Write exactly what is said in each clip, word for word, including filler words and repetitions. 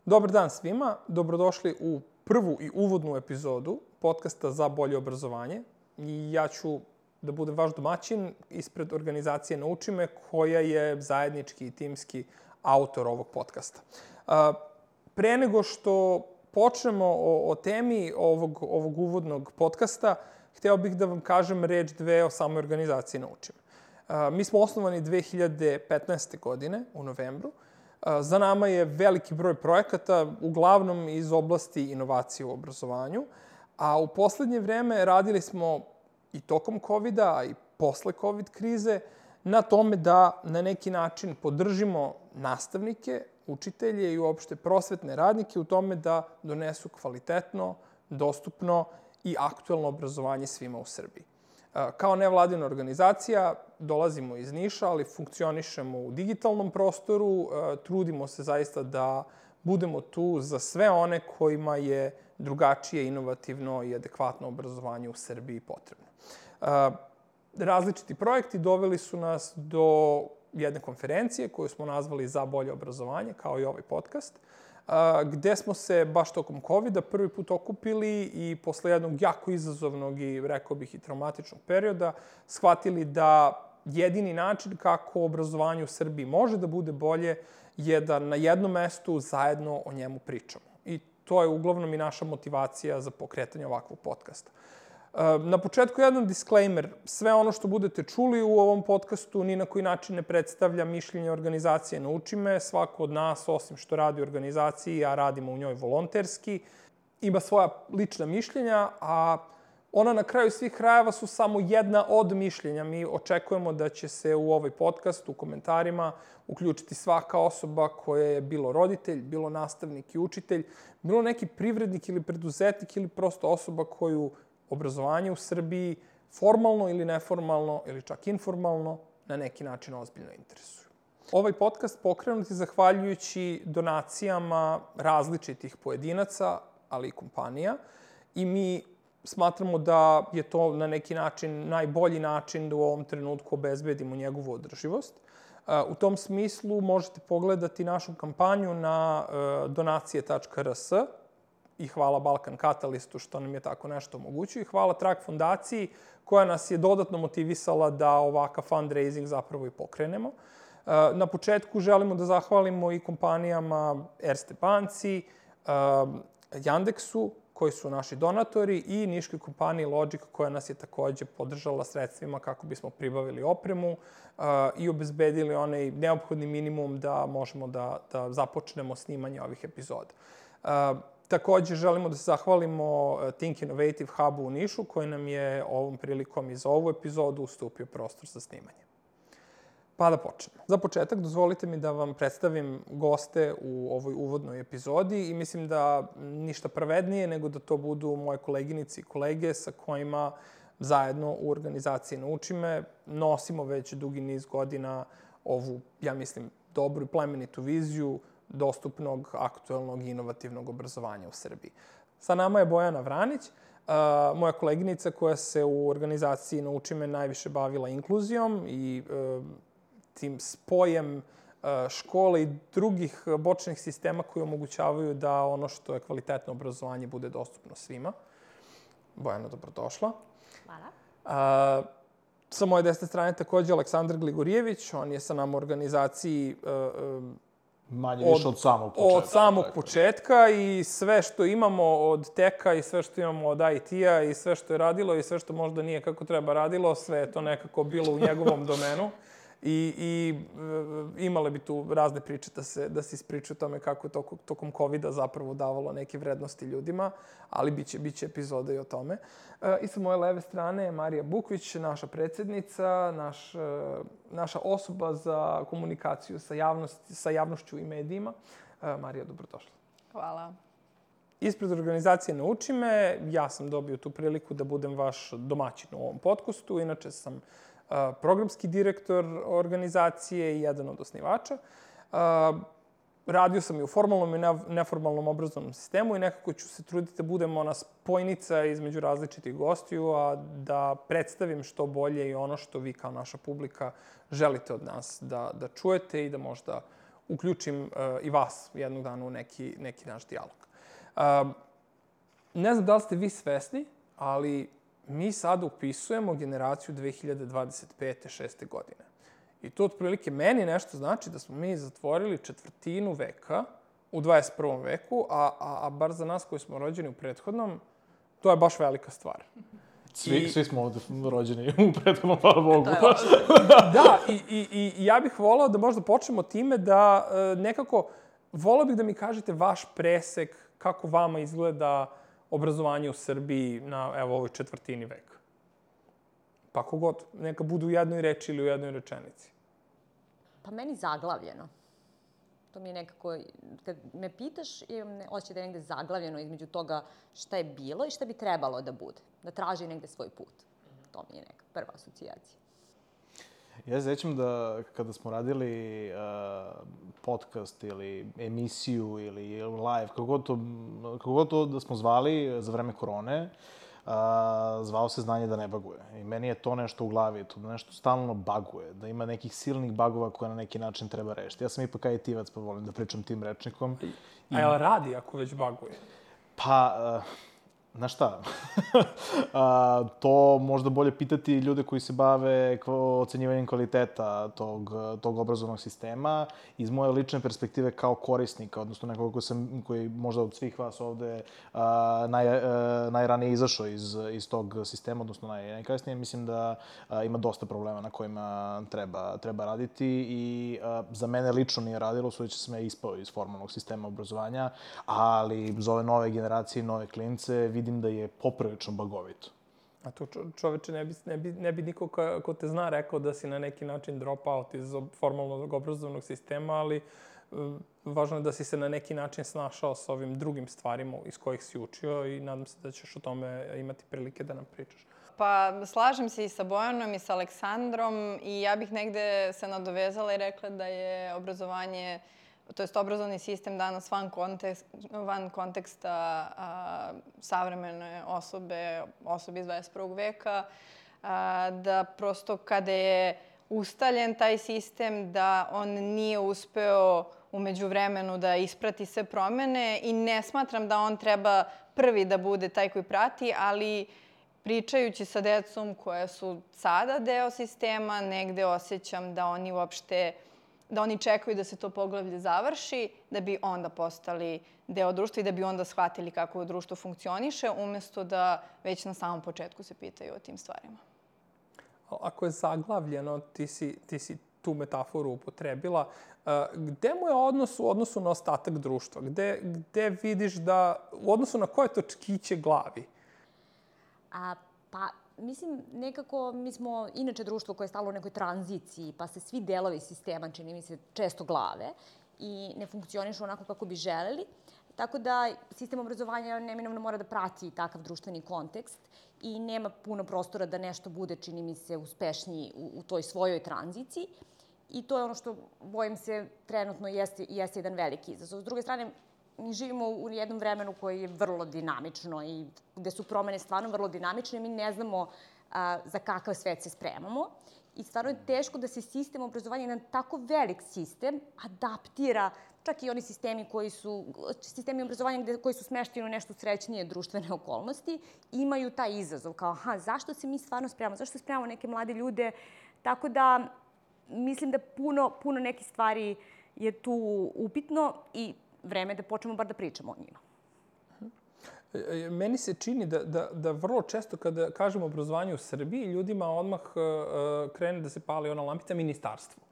Dobar dan svima, dobrodošli u prvu i uvodnu epizodu podcasta za bolje obrazovanje. I ja ću da budem vaš domaćin ispred organizacije Nauči me, koja je zajednički i timski autor ovog podcasta. Pre nego što počnemo o, o temi ovog, ovog uvodnog podcasta, hteo bih da vam kažem reč dve o samoj organizaciji Nauči me. Mi smo osnovani dve hiljade petnaeste. godine u novembru. Za nama je veliki broj projekata, uglavnom iz oblasti inovacije u obrazovanju, a u poslednje vreme radili smo i tokom kovida, a i posle covid krize, na tome da na neki način podržimo nastavnike, učitelje i uopšte prosvetne radnike u tome da donesu kvalitetno, dostupno i aktuelno obrazovanje svima u Srbiji. Kao nevladina organizacija dolazimo iz Niša, ali funkcionišemo u digitalnom prostoru. Trudimo se zaista da budemo tu za sve one kojima je drugačije, inovativno i adekvatno obrazovanje u Srbiji potrebno. Različiti projekti doveli su nas do jedne konferencije koju smo nazvali Za bolje obrazovanje, kao i ovaj podcast, gde smo se baš tokom kovida prvi put okupili i posle jednog jako izazovnog i, rekao bih, i traumatičnog perioda shvatili da jedini način kako obrazovanje u Srbiji može da bude bolje je da na jednom mestu zajedno o njemu pričamo. I to je uglavnom i naša motivacija za pokretanje ovakvog podcasta. Na početku jedan disclaimer. Sve ono što budete čuli u ovom podcastu ni na koji način ne predstavlja mišljenje organizacije Nauči me. Svako od nas, osim što radi u organizaciji, a radimo u njoj volonterski, ima svoja lična mišljenja, a ona na kraju svih krajeva su samo jedna od mišljenja. Mi očekujemo da će se u ovaj podcast, u komentarima, uključiti svaka osoba koja je bilo roditelj, bilo nastavnik i učitelj, bilo neki privrednik ili preduzetnik ili prosto osoba koju obrazovanje u Srbiji formalno ili neformalno ili čak informalno na neki način ozbiljno interesuju. Ovaj podcast pokrenut je zahvaljujući donacijama različitih pojedinaca, ali i kompanija, i mi smatramo da je to na neki način najbolji način da u ovom trenutku obezbedimo njegovu održivost. U tom smislu možete pogledati našu kampanju na donacije tačka r s i hvala Balkan Katalistu što nam je tako nešto omogućio i hvala Trak fondaciji koja nas je dodatno motivisala da ovakav fundraising zapravo i pokrenemo. Na početku želimo da zahvalimo i kompanijama Erste banci, Yandexu, koji su naši donatori, i niškoj kompaniji Logic, koja nas je takođe podržala sredstvima kako bismo pribavili opremu i obezbedili onaj neophodni minimum da možemo da, da započnemo snimanje ovih epizoda. Takođe, želimo da se zahvalimo Think Innovative Hubu u Nišu, koji nam je ovom prilikom i za ovu epizodu ustupio prostor za snimanje. Pa da počnemo. Za početak, dozvolite mi da vam predstavim goste u ovoj uvodnoj epizodi i mislim da ništa pravednije nego da to budu moje koleginice i kolege sa kojima zajedno u organizaciji Nauči me nosimo već dugi niz godina ovu, ja mislim, dobru i plemenitu viziju dostupnog, aktuelnog i inovativnog obrazovanja u Srbiji. Sa nama je Bojana Vranić, moja koleginica koja se u organizaciji Nauči me najviše bavila inkluzijom i tim spojem škole i drugih bočnih sistema koji omogućavaju da ono što je kvalitetno obrazovanje bude dostupno svima. Bojana, dobrodošla. Hvala. Sa moje desne strane takođe Aleksandar Gligorijević. On je sa nama u organizaciji manje više od samog početka. Od samog početka i sve što imamo od teka i sve što imamo od i te-a i sve što je radilo i sve što možda nije kako treba radilo, sve je to nekako bilo u njegovom domenu. I, i imale bi tu razne priče da se, da se ispričaju o tome kako je to, tokom kovida zapravo davalo neke vrednosti ljudima, ali biće, biće epizoda i o tome. I sa moje leve strane je Marija Bukvić, naša predsednica, naš, naša osoba za komunikaciju sa, javnosti, sa javnošću i medijima. Marija, dobrodošla. Hvala. Ispred organizacije Nauči me, ja sam dobio tu priliku da budem vaš domaćin u ovom podcastu. Inače sam programski direktor organizacije i jedan od osnivača. Radio sam i u formalnom i neformalnom obrazovnom sistemu i nekako ću se truditi da budem ona spojnica između različitih gostiju, a da predstavim što bolje i ono što vi kao naša publika želite od nas da, da čujete i da možda uključim uh, i vas jednog dana u neki, neki naš dijalog. Uh, ne znam da li ste vi svesni, ali mi sada upisujemo generaciju dve hiljade dvadeset pete šeste godine. I to otprilike meni nešto znači da smo mi zatvorili četvrtinu veka u dvadeset prvom veku, a, a, a bar za nas koji smo rođeni u prethodnom, to je baš velika stvar. Svi, I, svi smo ovde rođeni u prethodnom, hvala Bogu. Da, i, i, i ja bih volao da možda počnemo time da e, nekako, volao bih da mi kažete vaš presek, kako vama izgleda obrazovanje u Srbiji na, evo, ovoj četvrtini veka. Pa kogod, neka budu u jednoj reči ili u jednoj rečenici. Pa meni zaglavljeno. To mi je nekako, kad me pitaš, imam osjećaj da je negde zaglavljeno između toga šta je bilo i šta bi trebalo da bude. Da traži negde svoj put. To mi je neka prva asocijacija. Ja se sećam da kada smo radili uh, podcast ili emisiju ili live, kako god to, kako god to da smo zvali za vreme korone, Uh, zvao se Znanje da ne baguje. I meni je to nešto u glavi, to nešto stalno baguje, da ima nekih silnih bagova koje na neki način treba rešiti. Ja sam ipak ajtivac, pa volim da pričam tim rečnikom. I... A jel radi ako već baguje? Pa, uh, znaš šta? A, to možda bolje pitati ljude koji se bave ocenjivanjem kvaliteta tog, tog obrazovnog sistema. Iz moje lične perspektive kao korisnika, odnosno nekoga koji, sam, koji možda od svih vas ovde a, naj, a, najranije izašao iz, iz tog sistema, odnosno naj, najkasnije, mislim da a, ima dosta problema na kojima treba, treba raditi i a, za mene lično nije radilo, sudeći sam ja ispao iz formalnog sistema obrazovanja, ali za ove nove generacije, nove klince, vidim da je poprilično bagovito. A to čoveče, ne bi, ne bi, ne bi niko ko, ko te zna rekao da si na neki način drop out iz formalnog obrazovnog sistema, ali um, važno je da si se na neki način snašao sa ovim drugim stvarima iz kojih si učio i nadam se da ćeš o tome imati prilike da nam pričaš. Pa slažem se i sa Bojanom i sa Aleksandrom i ja bih negde se nadovezala i rekla da je obrazovanje, to jest obrazovni sistem danas van, kontekst, van konteksta a, savremene osobe, osobe iz dvadeset prvog veka, a, da prosto kada je ustaljen taj sistem, da on nije uspeo u međuvremenu da isprati sve promene i ne smatram da on treba prvi da bude taj koji prati, ali pričajući sa decom koja su sada deo sistema, negde osjećam da oni uopšte da oni čekaju da se to poglavlje završi, da bi onda postali deo društva i da bi onda shvatili kako društvo funkcioniše, umesto da već na samom početku se pitaju o tim stvarima. Ako je zaglavljeno, ti si, ti si tu metaforu upotrebila, gde mu je odnos u odnosu na ostatak društva? Gde, gde vidiš da, u odnosu na koje točkiće glavi? A, pa, mislim, nekako mi smo inače društvo koje je stalo u nekoj tranziciji, pa se svi delovi sistema, čini mi se, često glave i ne funkcionišu onako kako bi želeli. Tako da sistem obrazovanja neminovno mora da prati takav društveni kontekst i nema puno prostora da nešto bude, čini mi se, uspešniji u, u toj svojoj tranziciji. I to je ono što, bojim se, trenutno jeste, jeste jedan veliki izazov. S druge strane, mi živimo u jednom vremenu koje je vrlo dinamično i gde su promene stvarno vrlo dinamične. Mi ne znamo a, za kakav svet se spremamo. I stvarno je teško da se sistem obrazovanja, jedan tako velik sistem, adaptira čak i oni sistemi koji su, sistemi obrazovanja gde, koji su smešteni u nešto srećnije društvene okolnosti, imaju taj izazov. Kao, aha, zašto se mi stvarno spremamo? Zašto se spremamo neke mlade ljude? Tako da, mislim da puno, puno nekih stvari je tu upitno i vreme da počnemo bar da pričamo o njima. Meni se čini da, da, da vrlo često kada kažemo obrazovanje u Srbiji, ljudima odmah uh, krene da se pali ona lampica ministarstvo.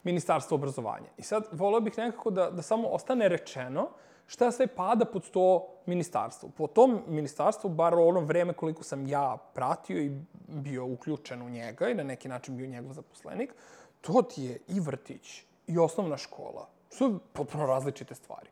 Ministarstvo obrazovanja. I sad voleo bih nekako da, da samo ostane rečeno šta sve pada pod to ministarstvo. Po tom ministarstvu, bar u ono vreme koliko sam ja pratio i bio uključen u njega i na neki način bio njegov zaposlenik, to ti je i vrtić i osnovna škola. Su potpuno različite stvari.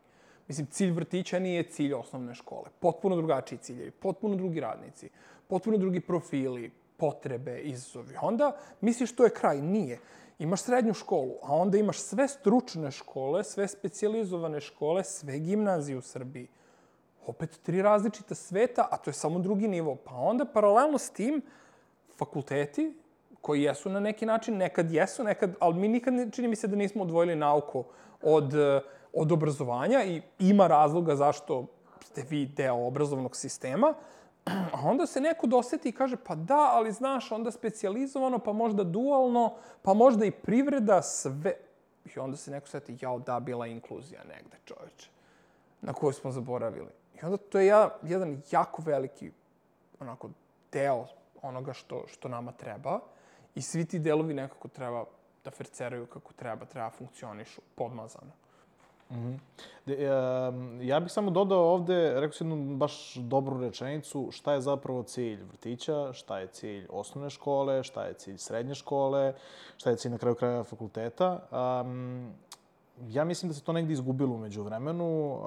Mislim, cilj vrtića nije cilj osnovne škole. Potpuno drugačiji ciljevi, potpuno drugi radnici, potpuno drugi profili, potrebe, izazovi. Onda misliš to je kraj. Nije. Imaš srednju školu, a onda imaš sve stručne škole, sve specijalizovane škole, sve gimnazije u Srbiji. Opet tri različita sveta, a to je samo drugi nivo. Pa onda paralelno s tim fakulteti koji jesu na neki način, nekad jesu, nekad, ali mi nikad, čini mi se da nismo odvojili nauku od, od obrazovanja i ima razloga zašto ste vi deo obrazovnog sistema, a onda se neko doseti i kaže, pa da, ali znaš, onda specijalizovano, pa možda dualno, pa možda i privreda, sve. I onda se neko seti, jao, da, bila inkluzija negde, čoveče, na koju smo zaboravili. I onda to je ja, jedan jako veliki onako, deo onoga što, što nama treba i svi ti delovi nekako treba da ferceraju kako treba, treba funkcionišu podmazano. Mm-hmm. De, um, ja bih samo dodao ovde, rekao si jednu baš dobru rečenicu, šta je zapravo cilj vrtića, šta je cilj osnovne škole, šta je cilj srednje škole, šta je cilj na kraju kraja fakulteta. Um, ja mislim da se to negdje izgubilo umeđu vremenu. Uh,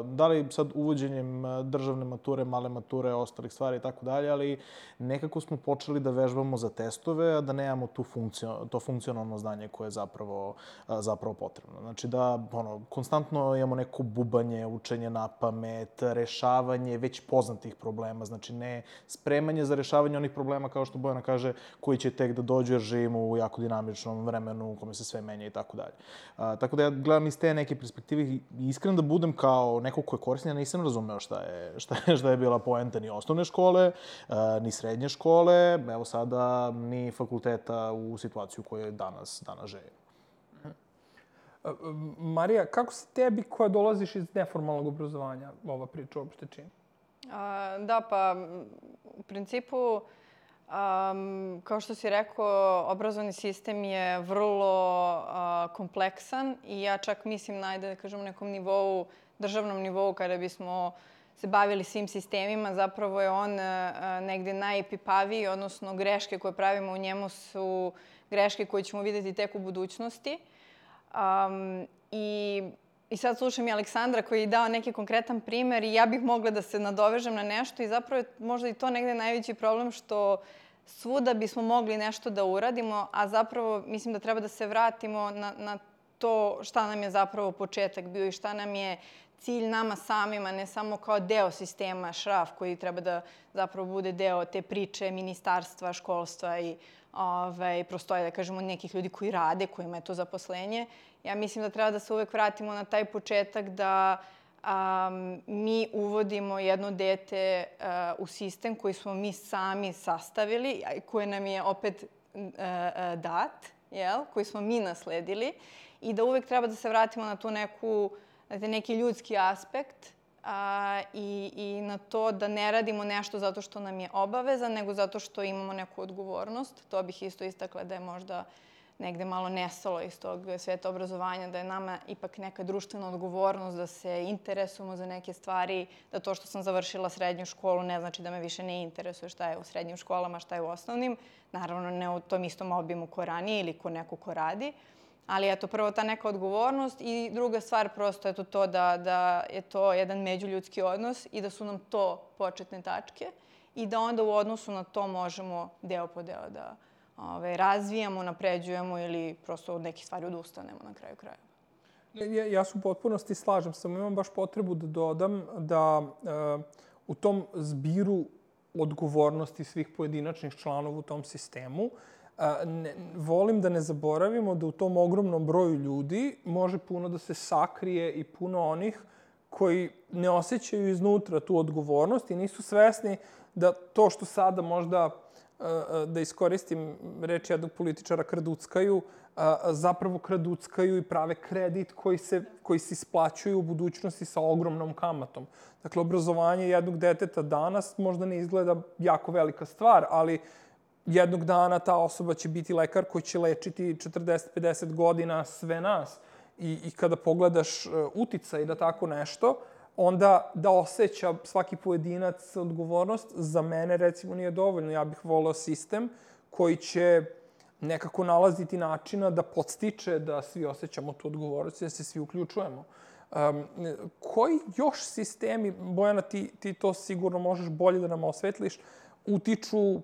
da li sad uvođenjem državne mature, male mature, ostalih stvari i tako dalje, ali nekako smo počeli da vežbamo za testove, a da nemamo tu funkcio, to funkcionalno znanje koje je zapravo, uh, zapravo potrebno. Znači da ono, konstantno imamo neko bubanje, učenje na pamet, rešavanje već poznatih problema. Znači ne spremanje za rešavanje onih problema, kao što Bojana kaže, koji će tek da dođu jer živimo u jako dinamičnom vremenu u kome se sve menja i tako dalje. Uh, tako da ja gledam iz te neke perspektive i iskren da budem kao neko ko je koristan, ja nisam razumeo šta je, šta je, šta je bila poenta ni osnovne škole, uh, ni srednje škole, evo sada ni fakulteta u situaciju u kojoj danas, danas živimo. Marija, kako se tebi koja dolaziš iz neformalnog obrazovanja ova priča uopšte čini? A, da, pa u principu Um, kao što si rekao, obrazovni sistem je vrlo uh, kompleksan i ja čak mislim, najde da kažem, nekom nivou, državnom nivou, kada bismo se bavili svim sistemima, zapravo je on uh, negde najepipaviji, odnosno greške koje pravimo u njemu su greške koje ćemo vidjeti tek u budućnosti. Um, i, I sad slušam i Aleksandra koji je dao neki konkretan primer i ja bih mogla da se nadovežem na nešto i zapravo je možda i to negde najveći problem što svuda bismo mogli nešto da uradimo, a zapravo mislim da treba da se vratimo na, na to šta nam je zapravo početak bio i šta nam je cilj nama samima, ne samo kao deo sistema šraf koji treba da zapravo bude deo te priče ministarstva, školstva i ovaj, prostoje, da kažemo, nekih ljudi koji rade, kojima je to zaposlenje. Ja mislim da treba da se uvek vratimo na taj početak da um, mi uvodimo jedno dete uh, u sistem koji smo mi sami sastavili, koji nam je opet uh, uh, dat, jel? Koji smo mi nasledili i da uvek treba da se vratimo na tu neku, na neki ljudski aspekt a, i, i na to da ne radimo nešto zato što nam je obaveza, nego zato što imamo neku odgovornost. To bih isto istakla da je možda negde malo nestalo iz tog sveta obrazovanja, da je nama ipak neka društvena odgovornost, da se interesujemo za neke stvari, da to što sam završila srednju školu ne znači da me više ne interesuje šta je u srednjim školama, šta je u osnovnim. Naravno, ne u tom istom obimu ko ranije ili ko neko ko radi. Ali eto, prvo ta neka odgovornost i druga stvar prosto je to da, da je to jedan međuljudski odnos i da su nam to početne tačke i da onda u odnosu na to možemo deo po deo da ove, razvijamo, napređujemo ili prosto od nekih stvari odustanemo na kraju krajeva. Ja, ja se u potpunosti slažem, samo imam baš potrebu da dodam da uh, u tom zbiru odgovornosti svih pojedinačnih članova u tom sistemu A, ne, volim da ne zaboravimo da u tom ogromnom broju ljudi može puno da se sakrije i puno onih koji ne osjećaju iznutra tu odgovornost i nisu svesni da to što sada možda, da iskoristim reč jednog političara, kraduckaju, zapravo kraduckaju i prave kredit koji se, koji se isplaćuju u budućnosti sa ogromnom kamatom. Dakle, obrazovanje jednog deteta danas možda ne izgleda jako velika stvar, ali jednog dana ta osoba će biti lekar koji će lečiti četrdeset do pedeset godina sve nas. I, i kada pogledaš uticaj da tako nešto, onda da osjeća svaki pojedinac odgovornost, za mene recimo nije dovoljno. Ja bih voleo sistem koji će nekako nalaziti načina da podstiče da svi osjećamo tu odgovornost i da se svi uključujemo. Um, koji još sistemi, Bojana, ti, ti to sigurno možeš bolje da nam osvetliš, utiču,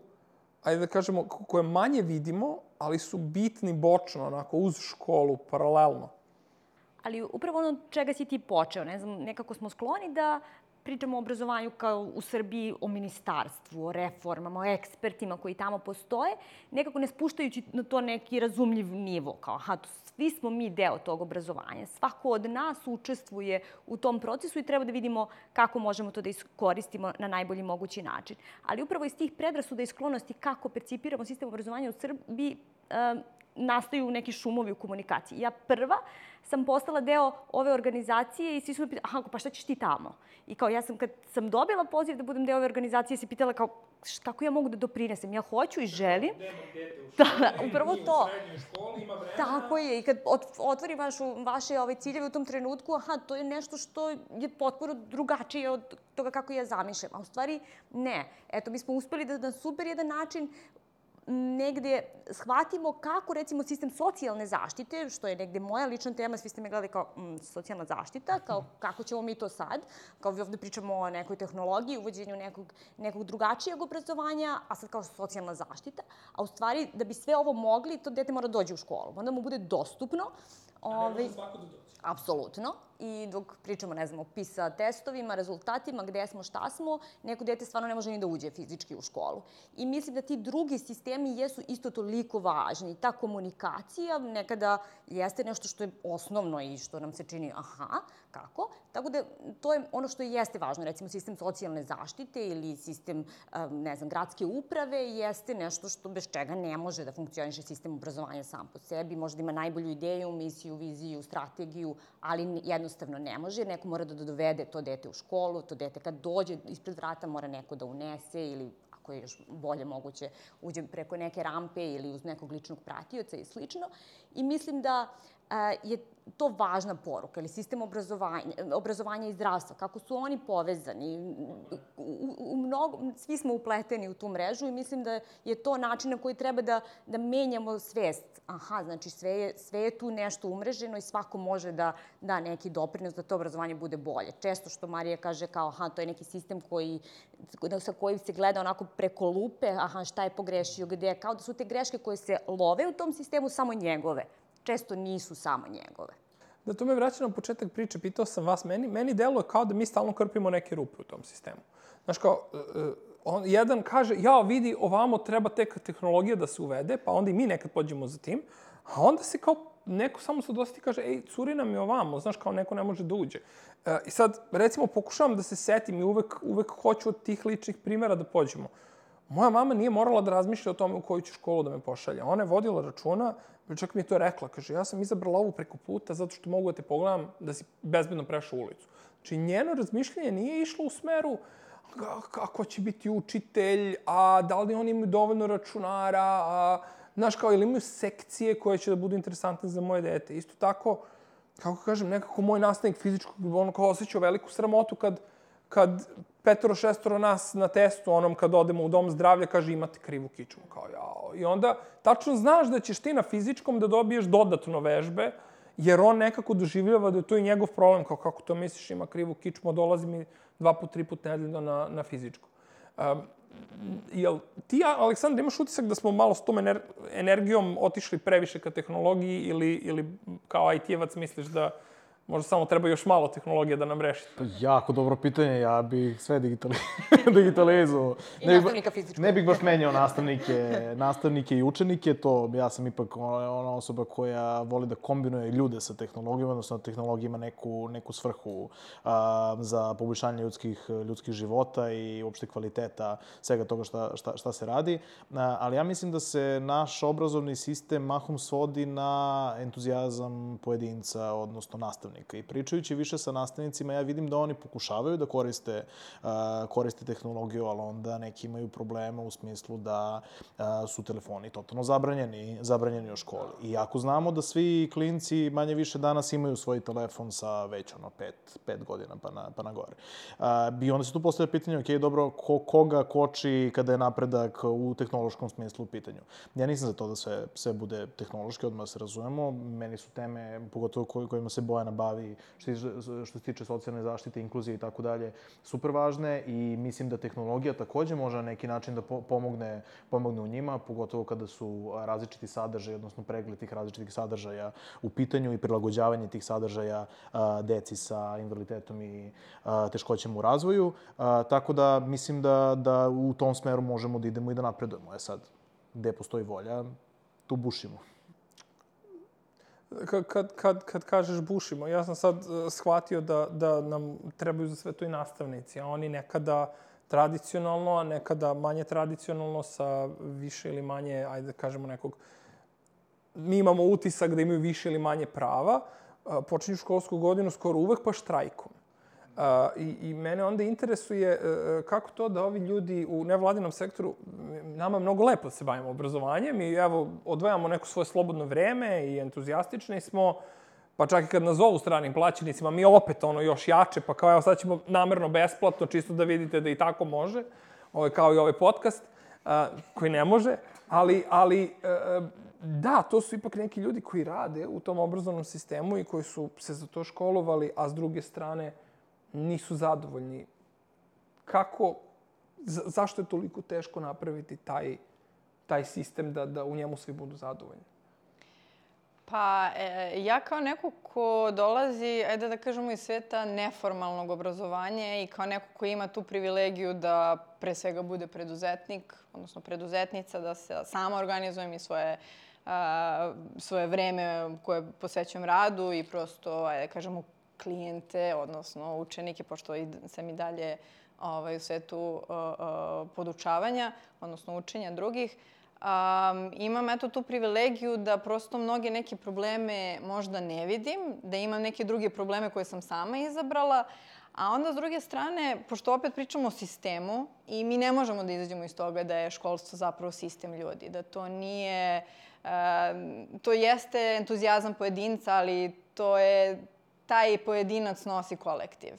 ajde da kažemo, koje manje vidimo, ali su bitni bočno, onako, uz školu, paralelno? Ali upravo ono čega si ti počeo, ne znam, nekako smo skloni da pričamo o obrazovanju kao u Srbiji, o ministarstvu, o reformama, o ekspertima koji tamo postoje, nekako ne spuštajući na to neki razumljiv nivo. Kao, aha, svi smo mi deo tog obrazovanja. Svako od nas učestvuje u tom procesu i treba da vidimo kako možemo to da iskoristimo na najbolji mogući način. Ali upravo iz tih predrasuda i sklonosti kako percipiramo sistem obrazovanja u Srbiji, nastaju neki šumovi u komunikaciji. Ja prva sam postala deo ove organizacije i svi su me pitali, aha, pa šta ćeš ti tamo? I kao ja sam, kad sam dobila poziv da budem deo ove organizacije, se pitala kao, kako ja mogu da doprinesem? Ja hoću i želim. Nema dete u školi, da, upravo to. U srednjoj školi ima vremena. Tako je. I kad otvori vašu, vaše ove ciljeve u tom trenutku, aha, to je nešto što je potpuno drugačije od toga kako ja zamišljam. A u stvari, ne. Eto, mi smo uspeli da na super jedan način negde shvatimo kako, recimo, sistem socijalne zaštite, što je negde moja lična tema, svi ste me gledali kao mm, socijalna zaštita, kao kako ćemo mi to sad, kao vi ovde pričamo o nekoj tehnologiji, uvođenju nekog, nekog drugačijeg obrazovanja, a sad kao socijalna zaštita, a u stvari, da bi sve ovo mogli, to dete mora dođe u školu, onda mu bude dostupno. A ne može svako da dođe. Apsolutno. I dok pričamo, ne znam, o PISA testovima, rezultatima, gde smo, šta smo, neko dete stvarno ne može ni da uđe fizički u školu. I mislim da ti drugi sistemi jesu isto toliko važni. Ta komunikacija nekada jeste nešto što je osnovno i što nam se čini, aha, kako? Tako da to je ono što jeste važno. Recimo, sistem socijalne zaštite ili sistem, ne znam, gradske uprave jeste nešto što bez čega ne može da funkcioniše sistem obrazovanja sam po sebi. Možda ima najbolju ideju, misiju, viziju, strategiju, ali jednostavno ne može. Neko mora da dovede to dete u školu, to dete kad dođe ispred vrata mora neko da unese ili ako je još bolje moguće uđe preko neke rampe ili uz nekog ličnog pratioca i slično. I mislim da je to važna poruka, ili sistem obrazovanja, obrazovanja i zdravstva, kako su oni povezani. U, u mnogo, svi smo upleteni u tu mrežu i mislim da je to način na koji treba da, da menjamo svest. Aha, znači sve je, sve je tu nešto umreženo i svako može da da neki doprinos da to obrazovanje bude bolje. Često što Marija kaže kao, aha, to je neki sistem koji, sa kojim se gleda onako preko lupe, aha, šta je pogrešio, gde, kao da su te greške koje se love u tom sistemu samo njegove. Često nisu samo njegove. Da, to me vraća na početak priče. Pitao sam vas, meni, meni deluje kao da mi stalno krpimo neke rupe u tom sistemu. Znaš, kao, on, jedan kaže, ja, vidi, ovamo treba tek tehnologija da se uvede, pa onda i mi nekad pođemo za tim, a onda se kao neko samo se doseti i kaže, ej, curi nam je ovamo, znaš, kao neko ne može da uđe. E, I sad, recimo, pokušavam da se setim i uvek, uvek hoću od tih ličnih primjera da pođemo. Moja mama nije morala da razmišlja o tome u koju ću školu da me pošalje. Ona je vodila računa, čak mi je to rekla, kaže, ja sam izabrala ovu preko puta zato što mogu da te pogledam da si bezbedno prešao ulicu. Znači, njeno razmišljanje nije išlo u smeru kako će biti učitelj, a da li oni imaju dovoljno računara, a, znaš, kao, ili imaju sekcije koje će da budu interesantne za moje dete. Isto tako, kako kažem, nekako moj nastavnik fizičkog, ono kao osjećao veliku sramotu kad, kad petoro, šestoro nas na testu, onom kad odemo u dom zdravlja, kaže imate krivu kičmu, kao jao. I onda tačno znaš da ćeš ti na fizičkom da dobiješ dodatno vežbe, jer on nekako doživljava da je to i njegov problem, kao kako to misliš ima krivu kičmu, dolazi mi dva put, tri put nedeljno na, na fizičko. Um, jel ti, Aleksandra, imaš utisak da smo malo s tom ener energijom otišli previše ka tehnologiji ili, ili kao I T-evac misliš da možda samo treba još malo tehnologije da nam reši? Pa jako dobro pitanje, ja bih sve digitali... digitalizovao. I ne nastavnika fizičkog. Ne bih baš menjao nastavnike, nastavnike i učenike, to ja sam ipak ona osoba koja voli da kombinuje ljude sa tehnologijom, odnosno da tehnologija ima neku, neku svrhu a, za poboljšanje ljudskih, ljudskih života i uopšte kvaliteta svega toga šta, šta, šta se radi. A, ali ja mislim da se naš obrazovni sistem mahom svodi na entuzijazam pojedinca, odnosno nastavnika. I pričajući više sa nastavnicima, ja vidim da oni pokušavaju da koriste, uh, koriste tehnologiju, ali onda neki imaju problema u smislu da uh, su telefoni totalno zabranjeni, zabranjeni u školi. I ako znamo da svi klinci manje više danas imaju svoj telefon sa već ono pet, pet godina pa na, pa na gore. Uh, I onda se tu postavlja pitanje, ok, dobro, ko, koga koči kada je napredak u tehnološkom smislu u pitanju. Ja nisam za to da sve, sve bude tehnološki, odmah se razumemo. Meni su teme, pogotovo kojima se Bojana bavi, bavi, što, što se tiče socijalne zaštite, inkluzije i tako dalje, super važne i mislim da tehnologija takođe može na neki način da pomogne, pomogne u njima, pogotovo kada su različiti sadržaji, odnosno pregled tih različitih sadržaja u pitanju i prilagođavanje tih sadržaja a, deci sa invaliditetom i a, teškoćama u razvoju. A, tako da mislim da, da u tom smeru možemo da idemo i da napredujemo. E sad, gde postoji volja, tu bušimo. Kad, kad, kad, kad kažeš bušimo, ja sam sad shvatio da, da nam trebaju za sve to i nastavnici, a oni nekada tradicionalno, a nekada manje tradicionalno sa više ili manje, ajde da kažemo nekog, mi imamo utisak da imaju više ili manje prava, počinju školsku godinu skoro uvek pa štrajkom. Uh, i, I mene onda interesuje uh, kako to da ovi ljudi u nevladinom sektoru, nama je mnogo lepo da se bavimo obrazovanjem i evo, odvajamo neko svoje slobodno vreme i entuzijastični smo, pa čak i kad nas zovu stranim plaćenicima, mi opet ono još jače, pa kao evo sad ćemo namerno besplatno, čisto da vidite da i tako može, ovo, kao i ovaj podcast, uh, koji ne može, ali, ali uh, da, to su ipak neki ljudi koji rade u tom obrazovnom sistemu i koji su se za to školovali, a s druge strane nisu zadovoljni. Kako, za, zašto je toliko teško napraviti taj, taj sistem da, da u njemu svi budu zadovoljni? Pa, e, ja kao neko ko dolazi, ajde da kažemo, iz sveta neformalnog obrazovanja i kao neko ko ima tu privilegiju da pre svega bude preduzetnik, odnosno preduzetnica, da se sama organizujem i svoje, a, svoje vreme koje posvećujem radu i prosto, ajde da kažemo, klijente, odnosno učenike, pošto sam i dalje ovaj, u svetu uh, uh, podučavanja, odnosno učenja drugih. Um, imam eto tu privilegiju da prosto mnoge neke probleme možda ne vidim, da imam neke druge probleme koje sam sama izabrala, a onda s druge strane, pošto opet pričamo o sistemu i mi ne možemo da izađemo iz toga da je školstvo zapravo sistem ljudi, da to nije, uh, to jeste entuzijazam pojedinca, ali to je taj pojedinac nosi kolektiv.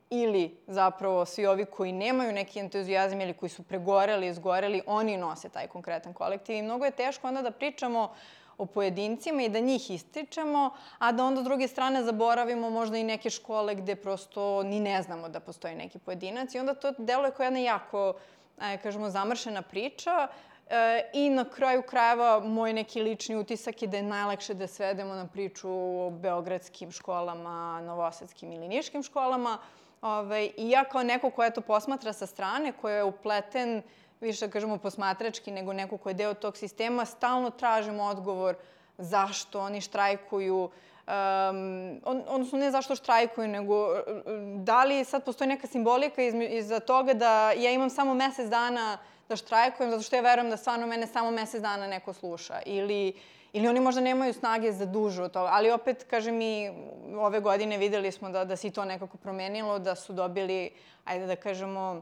Ili zapravo svi ovi koji nemaju neki entuzijazam ili koji su pregoreli, izgoreli, oni nose taj konkretan kolektiv. I mnogo je teško onda da pričamo o pojedincima i da njih ističemo, a da onda s druge strane zaboravimo možda i neke škole gde prosto ni ne znamo da postoji neki pojedinac. I onda to deluje kao jedna jako, kažemo, zamršena priča. I na kraju krajeva moj neki lični utisak je da je najlakše da svedemo na priču o beogradskim školama, novosadskim ili niškim školama. I ja kao neko ko eto posmatra sa strane, ko je upleten, više da kažemo posmatrački nego neko ko je deo tog sistema, stalno tražimo odgovor zašto oni štrajkuju, Um, odnosno ne zašto štrajkuju, nego da li sad postoji neka simbolika iza toga da ja imam samo mesec dana da štrajkujem, zato što ja verujem da stvarno mene samo mesec dana neko sluša. Ili, ili oni možda nemaju snage za duže od toga. Ali opet, kažem, mi ove godine videli smo da, da se i to nekako promenilo, da su dobili, ajde da kažemo,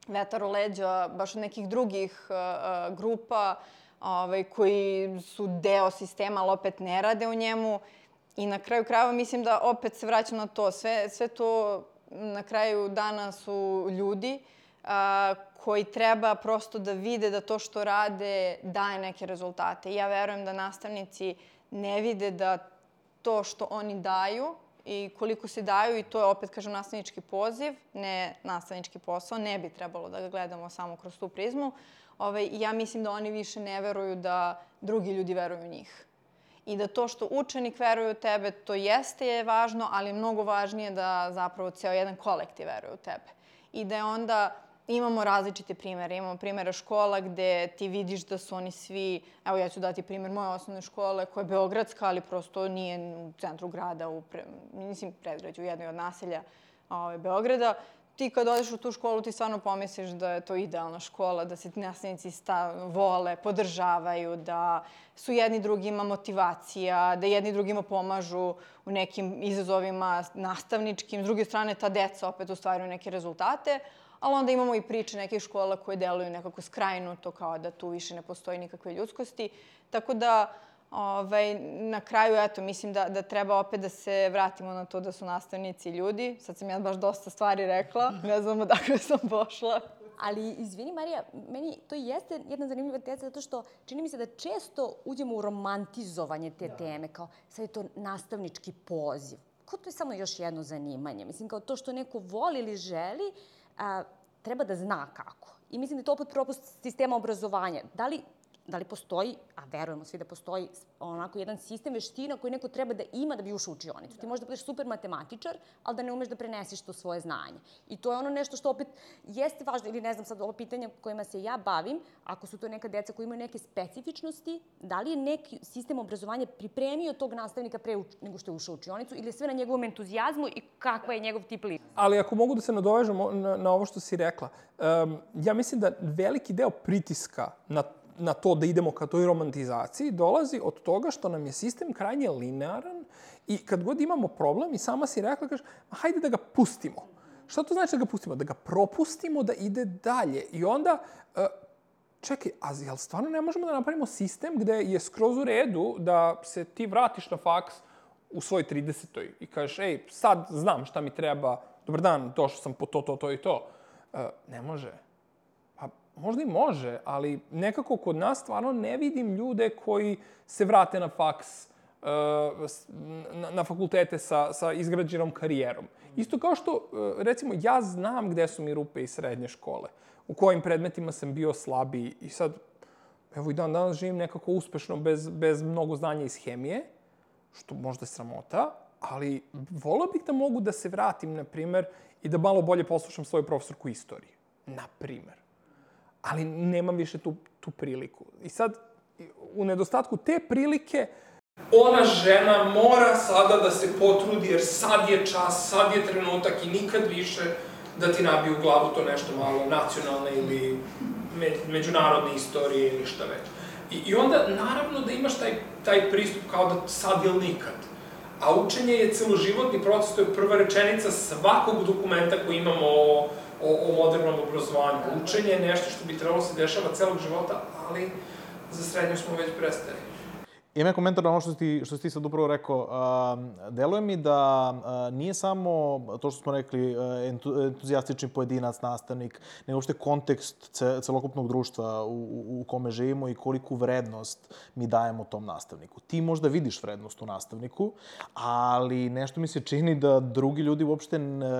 vetar u leđa baš od nekih drugih uh, grupa ovaj, koji su deo sistema, ali opet ne rade u njemu. I na kraju krajeva mislim da opet se vraćam na to. Sve, sve to na kraju dana su ljudi a, koji treba prosto da vide da to što rade daje neke rezultate. Ja verujem da nastavnici ne vide da to što oni daju i koliko se daju, i to je opet, kažem, nastavnički poziv, ne nastavnički posao, ne bi trebalo da ga gledamo samo kroz tu prizmu. Ove, ja mislim da oni više ne veruju da drugi ljudi veruju u njih. I da to što učenik veruje u tebe, to jeste je važno, ali je mnogo važnije da zapravo ceo jedan kolektiv veruje u tebe. I da je onda, imamo različite primere. Imamo primere škola gde ti vidiš da su oni svi, evo ja ću dati primjer moje osnovne škole koja je beogradska, ali prosto nije u centru grada, u pre, mislim predgrađu, u jednoj od naselja ove, Beograda. Ti kad odeš u tu školu, ti stvarno pomisliš da je to idealna škola, da se nastavnici vole, podržavaju, da su jedni drugima motivacija, da jedni drugima pomažu u nekim izazovima nastavničkim. S druge strane, ta deca opet ostvaruju neke rezultate, ali onda imamo i priče nekih škola koje deluju nekako skrajnuto, kao da tu više ne postoji nikakve ljudskosti. Tako da, Ovaj, na kraju, eto, mislim da, da treba opet da se vratimo na to da su nastavnici ljudi. Sad sam ja baš dosta stvari rekla, ne znam odakle sam pošla. Ali, izvini, Marija, meni to jeste jedna zanimljiva teza, zato što čini mi se da često uđemo u romantizovanje te da. teme, kao sad je to nastavnički poziv. kao to je samo još jedno zanimanje. Mislim, kao to što neko voli ili želi, a, treba da zna kako. I mislim da je to opet propust sistema obrazovanja. Da li Da li postoji, a verujemo svi da postoji onako jedan sistem veština koji neko treba da ima da bi ušao u učionicu. Ti možeš da budeš super matematičar, ali da ne umeš da preneseš to svoje znanje. I to je ono nešto što opet jeste važno, ili ne znam sad ovo pitanje kojima se ja bavim, ako su to neka deca koji imaju neke specifičnosti, da li je neki sistem obrazovanja pripremio tog nastavnika pre nego što je ušao u učionicu ili je sve na njegovom entuzijazmu i kakva je njegov tip lica? Ali ako mogu da se nadovežem na, na ovo što si rekla, um, ja mislim da veliki deo pritiska na na to da idemo ka toj romantizaciji, dolazi od toga što nam je sistem krajnje linearan i kad god imamo problem i sama si rekla, kažeš, hajde da ga pustimo. Šta to znači da ga pustimo? Da ga propustimo da ide dalje. I onda, čekaj, a jel stvarno ne možemo da napravimo sistem gde je skroz u redu da se ti vratiš na faks u svoj tridesetoj i kažeš, ej, sad znam šta mi treba, dobar dan, došao sam po to, to, to i to. Ne može. Možda i može, ali nekako kod nas stvarno ne vidim ljude koji se vrate na faks, na fakultete sa, sa izgrađenom karijerom. Isto kao što, recimo, ja znam gde su mi rupe iz srednje škole, u kojim predmetima sam bio slabiji i sad, evo i dan danas živim nekako uspešno bez, bez mnogo znanja iz hemije, što možda je sramota, ali volio bih da mogu da se vratim, na primer, i da malo bolje poslušam svoju profesorku istorije, na primer. Ali nemam više tu, tu priliku. I sad, u nedostatku te prilike, ona žena mora sada da se potrudi, jer sad je čas, sad je trenutak i nikad više da ti nabiju u glavu to nešto malo nacionalne ili me, međunarodne istorije ili šta već. I, I onda, naravno, da imaš taj, taj pristup kao da sad ili nikad. A učenje je celoživotni proces, to je prva rečenica svakog dokumenta koji imamo o O, o modernom obrazovanju. Učenje je nešto što bi trebalo se dešava celog života, ali za srednju smo već prestali. Ima je komentar na ono što si ti, što si ti sad upravo rekao. Uh, deluje mi da uh, nije samo to što smo rekli uh, entuzijastični pojedinac, nastavnik, nego uopšte kontekst ce, celokupnog društva u, u, u kome živimo i koliku vrednost mi dajemo tom nastavniku. Ti možda vidiš vrednost u nastavniku, ali nešto mi se čini da drugi ljudi uopšte,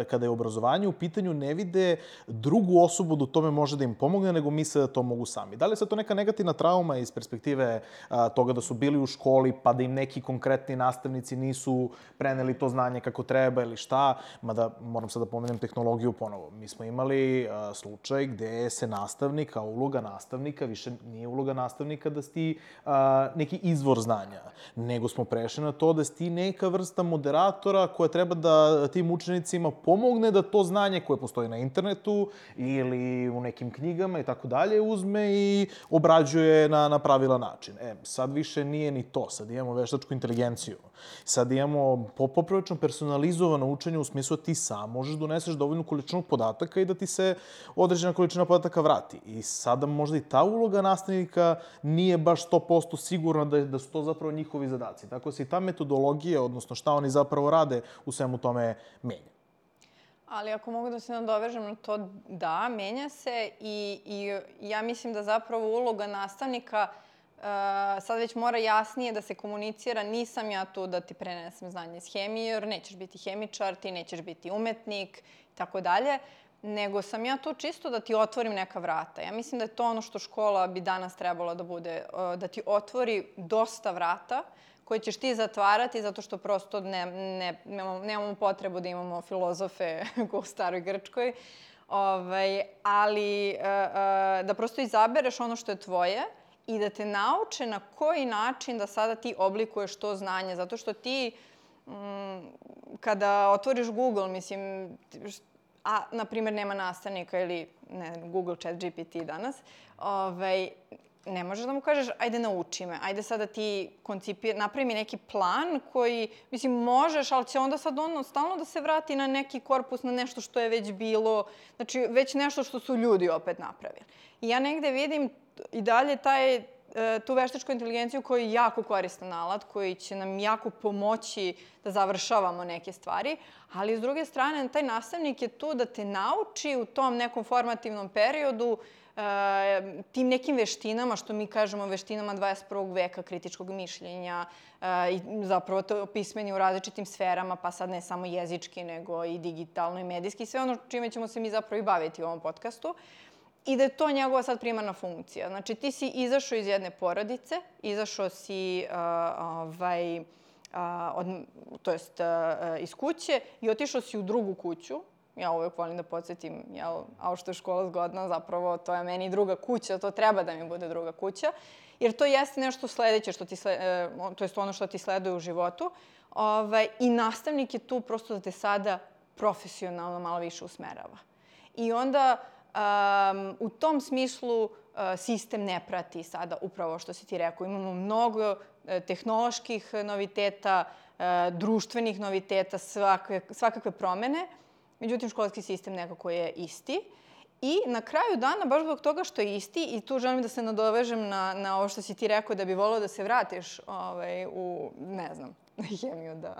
kada je obrazovanje u pitanju, ne vide drugu osobu da u tome može da im pomogne, nego misle da to mogu sami. Da li je sad to neka negativna trauma iz perspektive uh, toga da su bili u školi, pa da im neki konkretni nastavnici nisu preneli to znanje kako treba ili šta, mada moram sad da pomenem tehnologiju ponovo. Mi smo imali uh, slučaj gde se nastavnik, kao uloga nastavnika, više nije uloga nastavnika da si ti uh, neki izvor znanja, nego smo prešli na to da si ti neka vrsta moderatora koja treba da tim učenicima pomogne da to znanje koje postoji na internetu ili u nekim knjigama i tako dalje uzme i obrađuje na, na pravilan način. E, sad više nije ni to. Sad imamo veštačku inteligenciju. Sad imamo poprilično personalizovano učenje u smislu da ti sam možeš da uneseš dovoljnu količinu podataka i da ti se određena količina podataka vrati. I sada možda i ta uloga nastavnika nije baš sto posto sigurna da, da su to zapravo njihovi zadaci. Tako da se i ta metodologija, odnosno šta oni zapravo rade, u svemu tome menja. Ali ako mogu da se nadovežem na to, da, menja se i, i ja mislim da zapravo uloga nastavnika Uh, sad već mora jasnije da se komunicira, nisam ja tu da ti prenesem znanje iz hemije, jer nećeš biti hemičar, ti nećeš biti umetnik i tako dalje, nego sam ja tu čisto da ti otvorim neka vrata. Ja mislim da je to ono što škola bi danas trebala da bude, uh, da ti otvori dosta vrata koje ćeš ti zatvarati zato što prosto ne, ne, nemamo, nemamo potrebu da imamo filozofe kao u staroj Grčkoj, ovaj, ali uh, uh, da prosto izabereš ono što je tvoje, i da te nauče na koji način da sada ti oblikuješ to znanje. Zato što ti, m, kada otvoriš Google, mislim, a, na primjer, nema nastavnika ili ne, Google, Chat G P T danas, ovaj, ne možeš da mu kažeš, ajde nauči me, ajde sada ti koncipir, napravi mi neki plan koji, mislim, možeš, ali će onda sad ono stalno da se vrati na neki korpus, na nešto što je već bilo, znači već nešto što su ljudi opet napravili. I ja negde vidim i dalje taj tu veštačku inteligenciju koji je jako koristan alat, koji će nam jako pomoći da završavamo neke stvari, ali s druge strane, taj nastavnik je tu da te nauči u tom nekom formativnom periodu tim nekim veštinama, što mi kažemo veštinama dvadeset prvog veka, kritičkog mišljenja i zapravo to pismeni u različitim sferama, pa sad ne samo jezički, nego i digitalno i medijski, sve ono čime ćemo se mi zapravo i baviti u ovom podcastu. I da je to njegova sad primarna funkcija. Znači, ti si izašao iz jedne porodice, izašao si ovaj, od, to jest iz kuće i otišao si u drugu kuću. Ja uvek volim da podsjetim, jel, a što je škola zgodna, zapravo to je meni druga kuća, to treba da mi bude druga kuća, jer to jeste nešto sledeće, što ti slede, to jest ono što ti sleduje u životu. Ovaj, I nastavnik je tu prosto da te sada profesionalno malo više usmerava. I onda um, u tom smislu uh, sistem ne prati sada upravo što si ti rekao. Imamo mnogo uh, tehnoloških noviteta, uh, društvenih noviteta, svakakve, svakakve promene. Međutim, školski sistem nekako je isti. I na kraju dana, baš zbog toga što je isti, i tu želim da se nadovežem na, na ovo što si ti rekao da bi volao da se vratiš ovaj, u, ne znam, hemiju da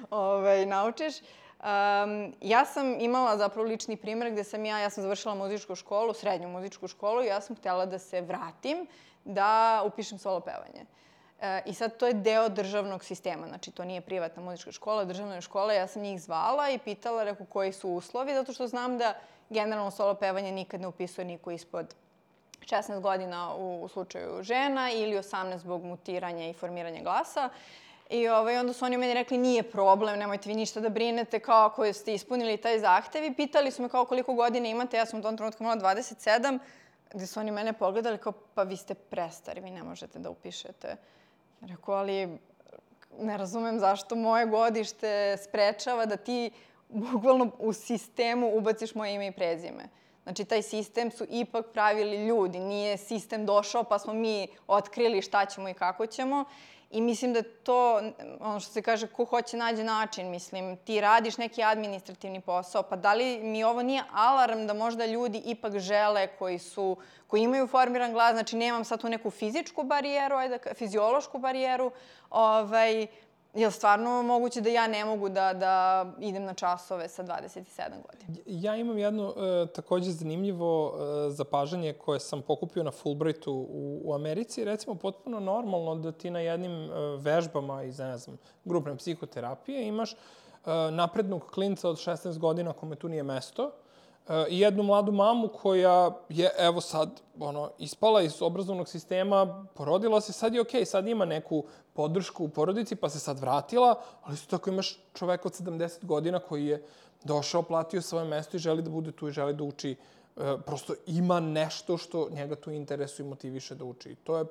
ovaj, naučiš. Um, ja sam imala zapravo lični primjer gde sam ja, ja sam završila muzičku školu, srednju muzičku školu i ja sam htjela da se vratim da upišem solo pevanje. E, I sad to je deo državnog sistema, znači to nije privatna muzička škola, državna je škola. Ja sam njih zvala i pitala, reku, koji su uslovi, zato što znam da generalno solo pevanje nikad ne upisuje niko ispod šesnaest godina u, u slučaju žena ili osamnaest zbog mutiranja i formiranja glasa. I ovaj, onda su oni meni rekli, nije problem, nemojte vi ništa da brinete, kao ako ste ispunili taj zahtev. I pitali su me kao koliko godina imate, ja sam u tom trenutku imala dvadeset sedam, gde su oni mene pogledali kao, pa vi ste prestari, vi ne možete da upišete. Rekao, ali ne razumem zašto moje godište sprečava da ti bukvalno u sistemu ubaciš moje ime i prezime. Znači, taj sistem su ipak pravili ljudi, nije sistem došao pa smo mi otkrili šta ćemo i kako ćemo. I mislim da je to, ono što se kaže, ko hoće nađe način. Mislim, ti radiš neki administrativni posao, pa da li mi ovo nije alarm da možda ljudi ipak žele koji su, koji imaju formiran glas, znači nemam sad tu neku fizičku barijeru, ajde, fiziološku barijeru, ovaj, je li stvarno moguće da ja ne mogu da, da idem na časove sa dvadeset sedam godina? Ja imam jedno e, takođe zanimljivo e, zapažanje koje sam pokupio na Fulbrightu u, u Americi. Recimo, potpuno normalno da ti na jednim e, vežbama iz, ne znam, grupne psihoterapije imaš e, naprednog klinca od šesnaest godina kome tu nije mesto i jednu mladu mamu koja je, evo sad, ono, ispala iz obrazovnog sistema, porodila se, sad je okej, sad ima neku podršku u porodici, pa se sad vratila, ali isto tako imaš čoveka od sedamdeset godina koji je došao, platio svoje mesto i želi da bude tu i želi da uči. E, prosto ima nešto što njega tu interesuje i motiviše da uči. To je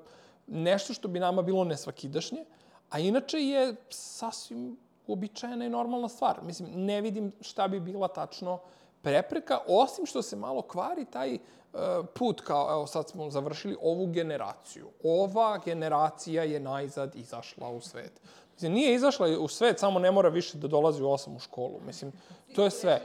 nešto što bi nama bilo nesvakidašnje, a inače je sasvim uobičajena i normalna stvar. Mislim, ne vidim šta bi bila tačno prepreka, osim što se malo kvari taj uh, put kao, evo sad smo završili ovu generaciju. Ova generacija je najzad izašla u svet. Mislim, nije izašla u svet, samo ne mora više da dolazi u osam u školu. Mislim, to je sve.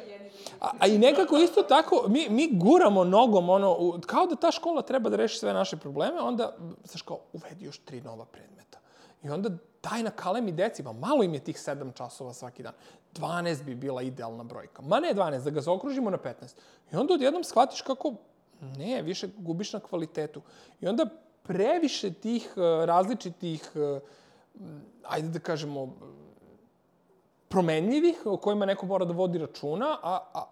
A, a i nekako isto tako, mi, mi guramo nogom, ono, u, kao da ta škola treba da reši sve naše probleme, onda, znaš kao, uvedi još tri nova predmeta. I onda daj na kalemi deci, ma malo im je tih sedam časova svaki dan. dvanaest bi bila idealna brojka. Ma ne dvanaest, da ga zaokružimo na petnaest. I onda odjednom shvatiš kako, ne, više gubiš na kvalitetu. I onda previše tih različitih, ajde da kažemo, promenljivih, o kojima neko mora da vodi računa, a, a,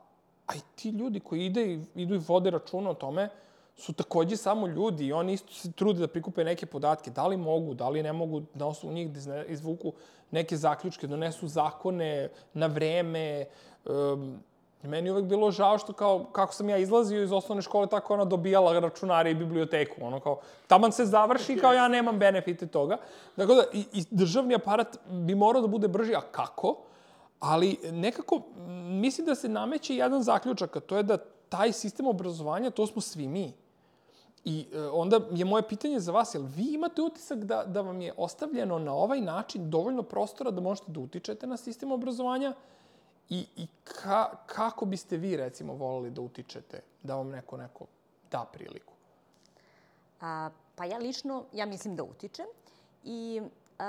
a i ti ljudi koji ide i, idu i vode računa o tome, su takođe samo ljudi i oni isto se trude da prikupe neke podatke. Da li mogu, da li ne mogu na osnovu njih da izvuku neke zaključke, donesu zakone na vreme. Um, meni je uvek bilo žao što kao, kako sam ja izlazio iz osnovne škole, tako ona dobijala računare i biblioteku. Ono kao, taman se završi, kao ja nemam benefite toga. Dakle, da, i, i državni aparat bi morao da bude brži, a kako? Ali nekako, mislim da se nameće jedan zaključak, a to je da taj sistem obrazovanja, to smo svi mi. I e, onda je moje pitanje za vas, jel vi imate utisak da, da vam je ostavljeno na ovaj način dovoljno prostora da možete da utičete na sistem obrazovanja i, i ka, kako biste vi, recimo, voleli da utičete, da vam neko, neko da priliku? A, Pa ja lično, ja mislim da utičem i e,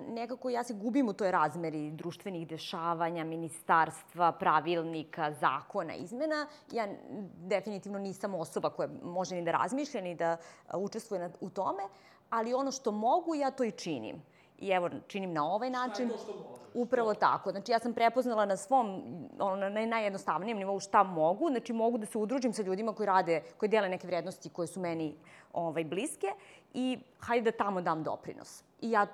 nekako ja se gubim u toj razmeri društvenih dešavanja, ministarstva, pravilnika, zakona, izmena. Ja definitivno nisam osoba koja može ni da razmišlja, ni da učestvuje na, u tome, ali ono što mogu, ja to i činim. I evo, činim na ovaj način. Šta je to što možeš? Upravo tako. Znači, ja sam prepoznala na svom, ono, na najjednostavnijem nivou šta mogu. Znači, mogu da se udružim sa ljudima koji rade, koji dele neke vrednosti koje su meni ovaj, bliske i hajde da tamo dam doprinos. I ja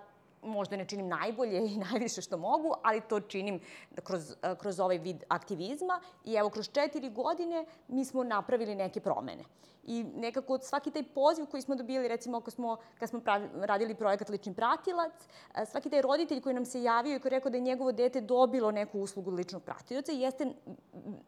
možda ne činim najbolje i najviše što mogu, ali to činim kroz, kroz ovaj vid aktivizma. I evo, kroz četiri godine mi smo napravili neke promene. I nekako svaki taj poziv koji smo dobili, recimo ako smo, kad smo pravi, radili projekat Lični pratilac, svaki taj roditelj koji nam se javio i koji je rekao da je njegovo dete dobilo neku uslugu ličnog pratioca jeste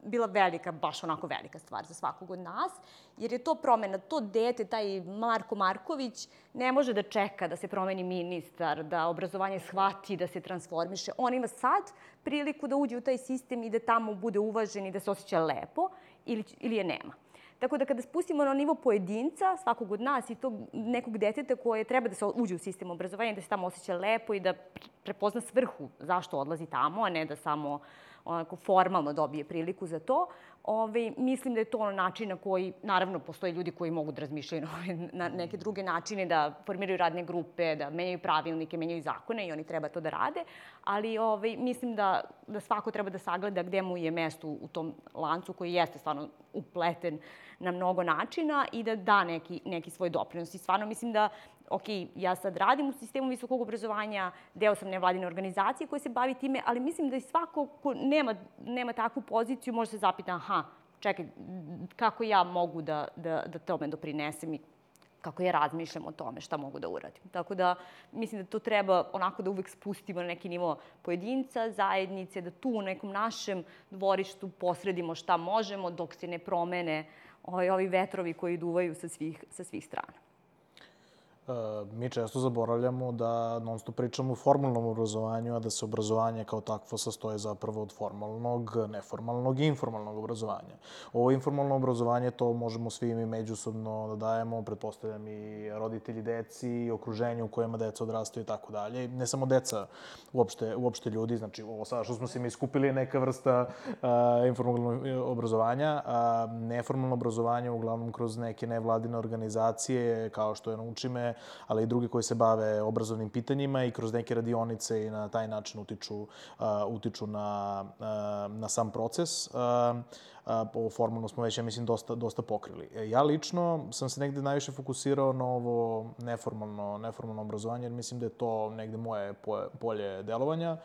bila velika, baš onako velika stvar za svakog od nas, jer je to promena. To dete, taj Marko Marković, ne može da čeka da se promeni ministar, da obrazovanje shvati, da se transformiše. On ima sad priliku da uđe u taj sistem i da tamo bude uvažen i da se osjeća lepo ili, ili je nema. Tako da kada spustimo na nivo pojedinca, svakog od nas i tog nekog deteta koje treba da se uđe u sistem obrazovanja, da se tamo osjeća lepo i da prepozna svrhu zašto odlazi tamo, a ne da samo onako formalno dobije priliku za to. Ove, mislim da je to način na koji, naravno, postoje ljudi koji mogu da razmišljaju na neke druge načine, da formiraju radne grupe, da menjaju pravilnike, menjaju zakone i oni treba to da rade, ali ove, mislim da, da svako treba da sagleda gde mu je mesto u tom lancu koji jeste stvarno upleten na mnogo načina i da da neki, neki svoj doprinos. I stvarno mislim da, ok, ja sad radim u sistemu visokog obrazovanja, deo sam nevladine organizacije koja se bavi time, ali mislim da i svako ko nema, nema takvu poziciju može se zapita, aha, čekaj, kako ja mogu da, da, da tome doprinesem i kako ja razmišljam o tome, šta mogu da uradim. Tako da mislim da to treba onako da uvek spustimo na neki nivo pojedinca, zajednice, da tu u nekom našem dvorištu posredimo šta možemo dok se ne promene ovi, ovi vetrovi koji duvaju sa svih, sa svih strana. Mi često zaboravljamo da non stop pričamo o formalnom obrazovanju, a da se obrazovanje kao takvo sastoje zapravo od formalnog, neformalnog i informalnog obrazovanja. Ovo informalno obrazovanje, to možemo svi mi međusobno da dajemo, pretpostavljam i roditelji deci, i okruženju u kojima deca odrastaju i tako dalje. Ne samo deca, uopšte, uopšte ljudi, znači ovo sada što smo se mi skupili je neka vrsta uh, informalnog obrazovanja. Uh, neformalno obrazovanje uglavnom kroz neke nevladine organizacije, kao što je Nauči me, ali i drugi koji se bave obrazovnim pitanjima i kroz neke radionice i na taj način utiču, uh, utiču na, uh, na sam proces. Uh, Ovo formalno smo već, ja mislim, dosta, dosta pokrili. Ja lično sam se negde najviše fokusirao na ovo neformalno, neformalno obrazovanje, jer mislim da je to negde moje polje delovanja.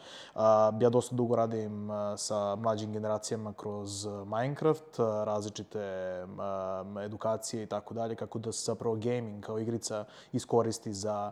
Ja dosta dugo radim sa mlađim generacijama kroz Minecraft, različite edukacije i tako dalje, kako da se zapravo gaming kao igrica iskoristi za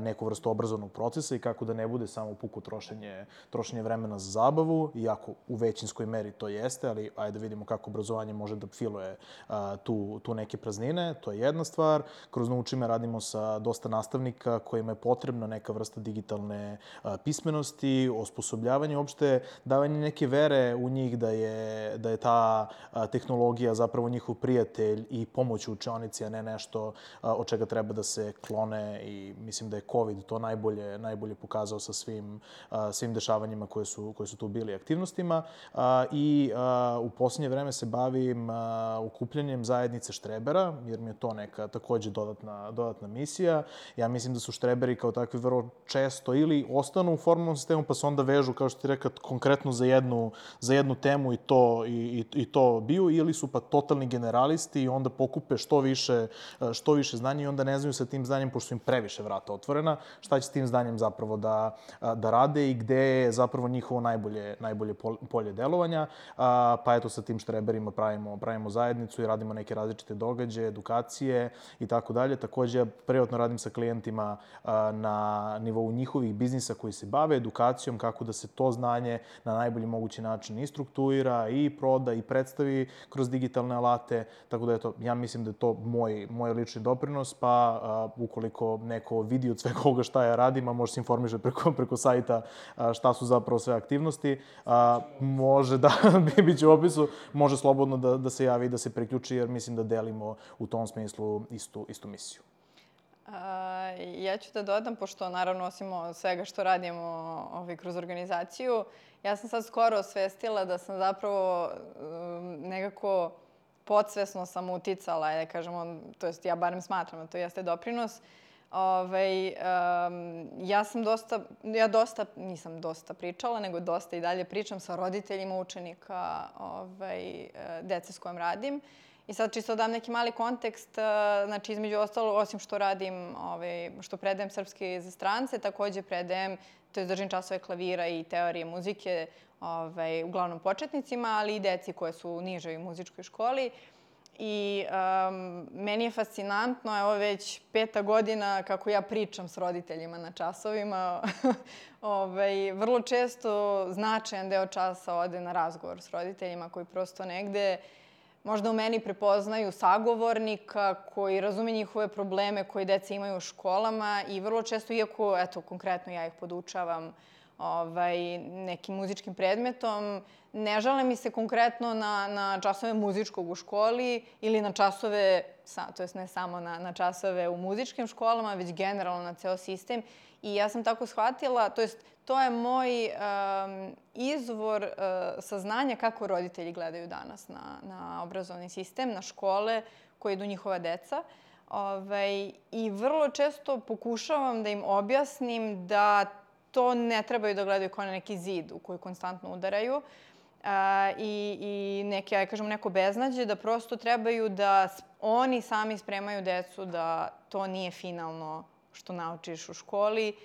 neku vrstu obrazovnog procesa i kako da ne bude samo puko trošenje, trošenje vremena za zabavu, iako u većinskoj meri to jeste, ali ajde vidimo kako obrazovanje može da filuje a, tu, tu neke praznine. To je jedna stvar. Kroz Nauči me radimo sa dosta nastavnika kojima je potrebna neka vrsta digitalne a, pismenosti, osposobljavanje, uopšte davanje neke vere u njih da je, da je ta a, tehnologija zapravo njihov prijatelj i pomoć u učionici, a ne nešto a, od čega treba da se klone, i mislim da je COVID to najbolje, najbolje pokazao sa svim, a, svim dešavanjima koje su, koje su tu bili aktivnostima. A, I a, u posljednje vreme se bavim a, ukupljanjem zajednice štrebera, jer mi je to neka takođe dodatna, dodatna misija. Ja mislim da su štreberi kao takvi vrlo često ili ostanu u formalnom sistemu pa se onda vežu, kao što ti rekao, konkretno za jednu, za jednu temu i to, i, i, i to biju, ili su pa totalni generalisti i onda pokupe što više, što više znanja i onda ne znaju sa tim znanjem, pošto su im previše vrata otvorena, šta će s tim znanjem zapravo da, da rade i gde je zapravo njihovo najbolje, najbolje polje delovanja. Pa eto, sa tim štreberima pravimo, pravimo zajednicu i radimo neke različite događaje, edukacije i tako dalje. Takođe, privatno radim sa klijentima na nivou njihovih biznisa koji se bave edukacijom, kako da se to znanje na najbolji mogući način i strukturira, i proda, i predstavi kroz digitalne alate. Tako da, eto, ja mislim da je to moj, moj lični doprinos, pa uh, ukoliko neko vidi od svega ovoga šta ja radim, a može se informiše preko, preko sajta uh, šta su zapravo sve aktivnosti, uh, može da, bit će u opisu, može slobodno da, da se javi i da se priključi, jer mislim da delimo u tom smislu istu, istu misiju. A, ja ću da dodam, pošto naravno osim svega što radimo ovaj, kroz organizaciju, ja sam sad skoro osvestila da sam zapravo um, nekako podsvesno sam uticala, da kažemo, to jest ja barem smatram da to jeste doprinos. Ovaj, um, ja sam dosta, ja dosta, nisam dosta pričala, nego dosta i dalje pričam sa roditeljima učenika ovaj, dece s kojom radim. I sad čisto dam neki mali kontekst, znači između ostalo, osim što radim, ovaj, što predajem srpski za strance, takođe predajem, to je držim časove klavira i teorije muzike, ovaj, uglavnom početnicima, ali i deci koje su u nižoj muzičkoj školi. I um, meni je fascinantno, evo već peta godina kako ja pričam s roditeljima na časovima. ovaj, vrlo često značajan deo časa ode na razgovor s roditeljima koji prosto negde možda u meni prepoznaju sagovornika koji razume njihove probleme koje deca imaju u školama i vrlo često, iako, eto, konkretno ja ih podučavam ovaj, nekim muzičkim predmetom, ne žale mi se konkretno na, na časove muzičkog u školi ili na časove, to jest ne samo na, na časove u muzičkim školama, već generalno na ceo sistem. I ja sam tako shvatila, to jest to je moj um, izvor uh, saznanja kako roditelji gledaju danas na, na obrazovni sistem, na škole koje idu njihova deca. Ovaj, I vrlo često pokušavam da im objasnim da to ne trebaju da gledaju kao na neki zid u koji konstantno udaraju uh, i, i neke, ja kažem, neko beznađe, da prosto trebaju da oni sami spremaju decu da to nije finalno što naučiš u školi,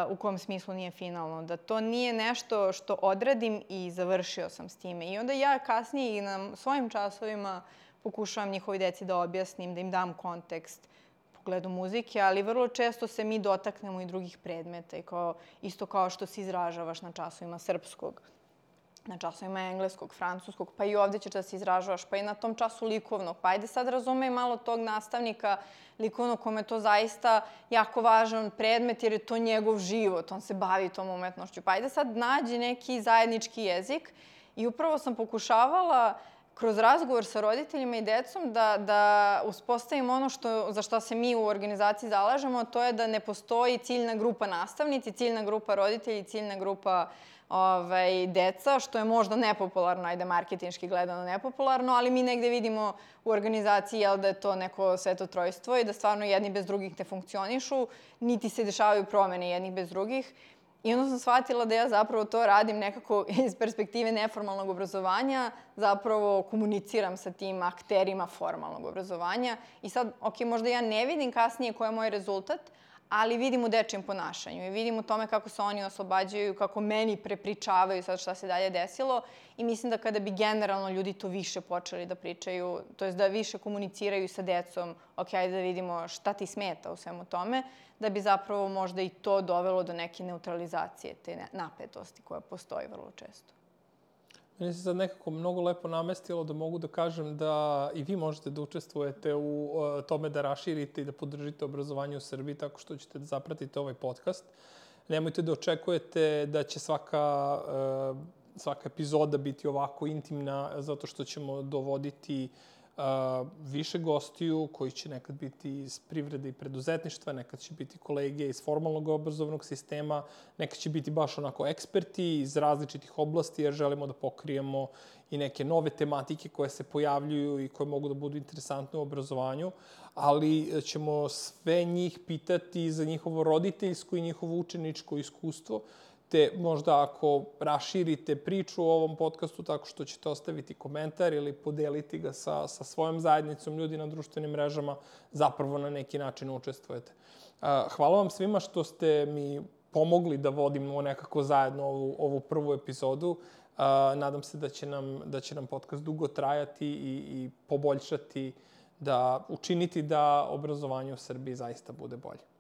u kom smislu nije finalno, da to nije nešto što odradim i završio sam s time. I onda ja kasnije i na svojim časovima pokušavam njihovi deci da objasnim, da im dam kontekst u pogledu muzike, ali vrlo često se mi dotaknemo i drugih predmeta, i kao, isto kao što se izražavaš na časovima srpskog, na časovima engleskog, francuskog, pa i ovdje ćeš da se izražavaš, pa i na tom času likovnog. Pa ajde sad razumej malo tog nastavnika likovnog kome je to zaista jako važan predmet jer je to njegov život, on se bavi tom umetnošću. Pa ajde sad nađi neki zajednički jezik i upravo sam pokušavala kroz razgovor sa roditeljima i decom da, da uspostavimo ono što, za što se mi u organizaciji zalažemo, to je da ne postoji ciljna grupa nastavnici, ciljna grupa roditelji, ciljna grupa Ovaj, deca, što je možda nepopularno, ajde marketinški gledano nepopularno, ali mi negde vidimo u organizaciji jel, da je to neko svetotrojstvo i da stvarno jedni bez drugih ne funkcionišu, niti se dešavaju promene jednih bez drugih. I onda sam shvatila da ja zapravo to radim nekako iz perspektive neformalnog obrazovanja, zapravo komuniciram sa tim akterima formalnog obrazovanja. I sad, ok, možda ja ne vidim kasnije koji je moj rezultat, ali vidim u dečijem ponašanju i vidim u tome kako se oni oslobađaju, kako meni prepričavaju sad šta se dalje desilo. I mislim da kada bi generalno ljudi to više počeli da pričaju, to jest da više komuniciraju sa decom, ok, ajde da vidimo šta ti smeta u svemu tome, da bi zapravo možda i to dovelo do neke neutralizacije, te napetosti koja postoji vrlo često. Meni se sad nekako mnogo lepo namestilo da mogu da kažem da i vi možete da učestvujete u tome da raširite i da podržite obrazovanje u Srbiji tako što ćete da zapratite ovaj podcast. Nemojte da očekujete da će svaka, svaka epizoda biti ovako intimna zato što ćemo dovoditi više gostiju koji će nekad biti iz privrede i preduzetništva, nekad će biti kolege iz formalnog obrazovnog sistema, nekad će biti baš onako eksperti iz različitih oblasti jer želimo da pokrijemo i neke nove tematike koje se pojavljuju i koje mogu da budu interesantne u obrazovanju, ali ćemo sve njih pitati za njihovo roditeljsko i njihovo učeničko iskustvo, te možda ako raširite priču o ovom podcastu tako što ćete ostaviti komentar ili podeliti ga sa, sa svojom zajednicom ljudi na društvenim mrežama, zapravo na neki način učestvujete. Hvala vam svima što ste mi pomogli da vodimo nekako zajedno ovu, ovu prvu epizodu. Nadam se da će nam, da će nam podcast dugo trajati i, i poboljšati, da učiniti da obrazovanje u Srbiji zaista bude bolje.